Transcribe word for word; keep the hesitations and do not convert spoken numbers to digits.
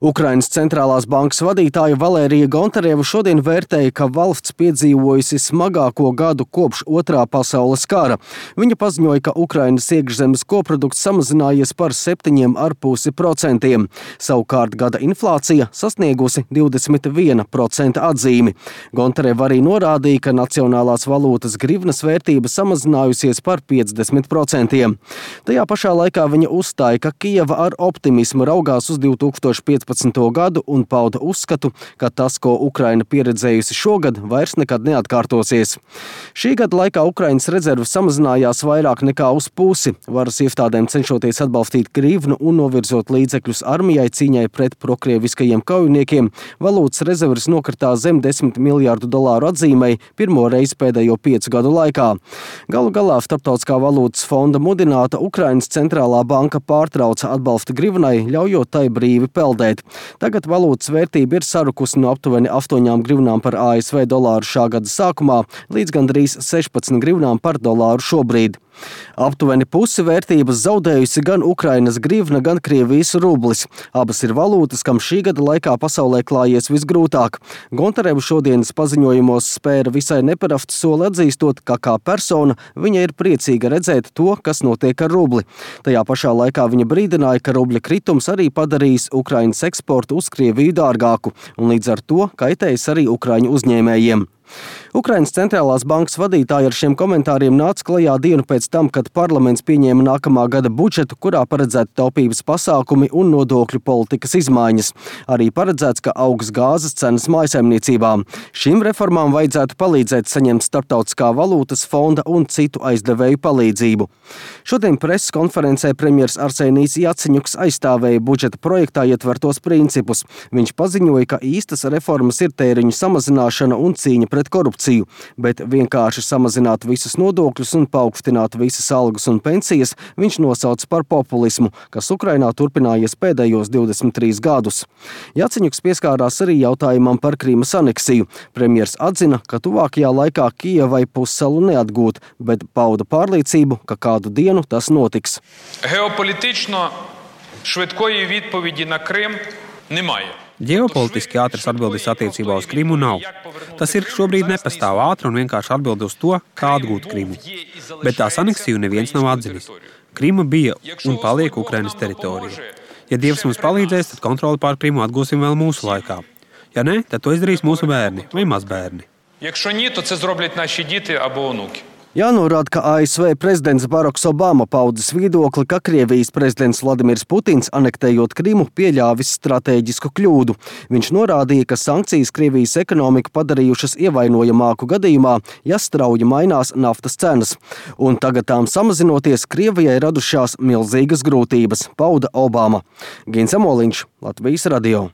Ukrainas centrālās bankas vadītāja Valērija Gontareva šodien vērtēja, ka valsts piedzīvojusi smagāko gadu kopš Otrā pasaules kara. Viņa paziņoja, ka Ukrainas iekšzemes koprodukts samazinājies par septiņiem ar pusi procentiem. Savukārt gada inflācija sasniegusi divdesmit viena procenta atzīmi. Gontareva arī norādīja, ka nacionālās valūtas grivnas vērtība samazinājusies par piecdesmit procentiem. Tajā pašā laikā viņa uzstāja, ka Kijeva ar optimismu raugās uz divtūkstoš piecpadsmito gadu un pauda uzskatu, ka tas, ko Ukraina pieredzējusi šogad, vairs nekad neatkārtosies. Šī gada laikā Ukrainas rezerves samazinājās vairāk nekā uz pusi, varas iestādēm cenšoties atbalstīt grivnu un novirzot līdzekļus armijai cīņai pret prokrieviskajiem kaujiniekiem. Valūtas rezerves nokritās zem desmit miljārdu dolāru atzīmei pirmo reizi pēdējo piecu gadu laikā. Galu galā Starptautiskā valūtas fonda mudināta Ukrainas centrālā banka pārtrauca atbalstu grivnai, ļaujot tai brīvi peldēt. Tagad valūtas vērtība ir sarukusi no aptuveni astoņām grivnām par A S V dolāru šā gada sākumā līdz gandrīz sešpadsmit grivnām par dolāru šobrīd. Aptuveni pusi vērtības zaudējusi gan Ukrainas grivna, gan Krievijas rublis. Abas ir valūtas, kam šī gada laikā pasaulē klājies visgrūtāk. Gontareva šodienas paziņojumos spēra visai neparastu soli atzīstot, ka kā persona viņa ir priecīga redzēt to, kas notiek ar rubli. Tajā pašā laikā viņa brīdināja, ka rubļa kritums arī padarīs Ukrainas eksportu uz Krieviju dārgāku un līdz ar to kaitējis arī ukraiņu uzņēmējiem. Ukrainas centrālās bankas vadītāja ar šiem komentāriem nāca klajā dienu pēc tam, kad parlaments pieņēma nākamā gada budžetu, kurā paredzēti taupības pasākumi un nodokļu politikas izmaiņas. Arī paredzēts, ka augs gāzes cenas mājsaimniecībām. Šīm reformām vajadzētu palīdzēt saņemt Starptautiskā valūtas fonda un citu aizdevēju palīdzību. Šodien preses konferencē premjers Arsenijs Jaceņuks aizstāvēja budžeta projektā ietvertos principus. Viņš paziņoja, ka īstas reformas ir tēriņu samazināšana un cīņa pret korupciju, bet vienkārši samazināt visus nodokļus un paaugstināt visas algas un pensijas viņš nosauca par populismu, kas Ukrainā turpinājies pēdējos divdesmit trīs gadus. Jaceņuks pieskārās arī jautājumam par Krīmas aneksiju. Premjers atzina, ka tuvākajā laikā Kijevai pussalu neatgūt, bet pauda pārliecību, ka kādu dienu tas notiks. Geopolitično švидkої відповіді на Крим немає. Ģeopolitiski ātras atbildes attiecībā uz Krimu nav. Tas ir šobrīd nepastāv ātra un vienkārši atbilde uz to, kā atgūt Krimu. Bet tās aneksiju neviens nav atzinis. Krima bija un paliek Ukrainas teritorija. Ja Dievs mums palīdzēs, tad kontroli pār Krimu atgūsim vēl mūsu laikā. Ja ne, tad to izdarīs mūsu bērni vai mazbērni. Якщо ні, то це зроблять наші діти або онуки. Jānorāda, ka A S V prezidents Baraks Obama paudzis viedokli, ka Krievijas prezidents Vladimirs Putins, anektējot Krimu, pieļāvis stratēģisku kļūdu. Viņš norādīja, ka sankcijas Krievijas ekonomiku padarījušas ievainojamāku gadījumā, ja strauji mainās naftas cenas. Un tagad tām samazinoties, Krievijai radušās milzīgas grūtības, pauda Obama. Gins Amoliņš, Latvijas radio.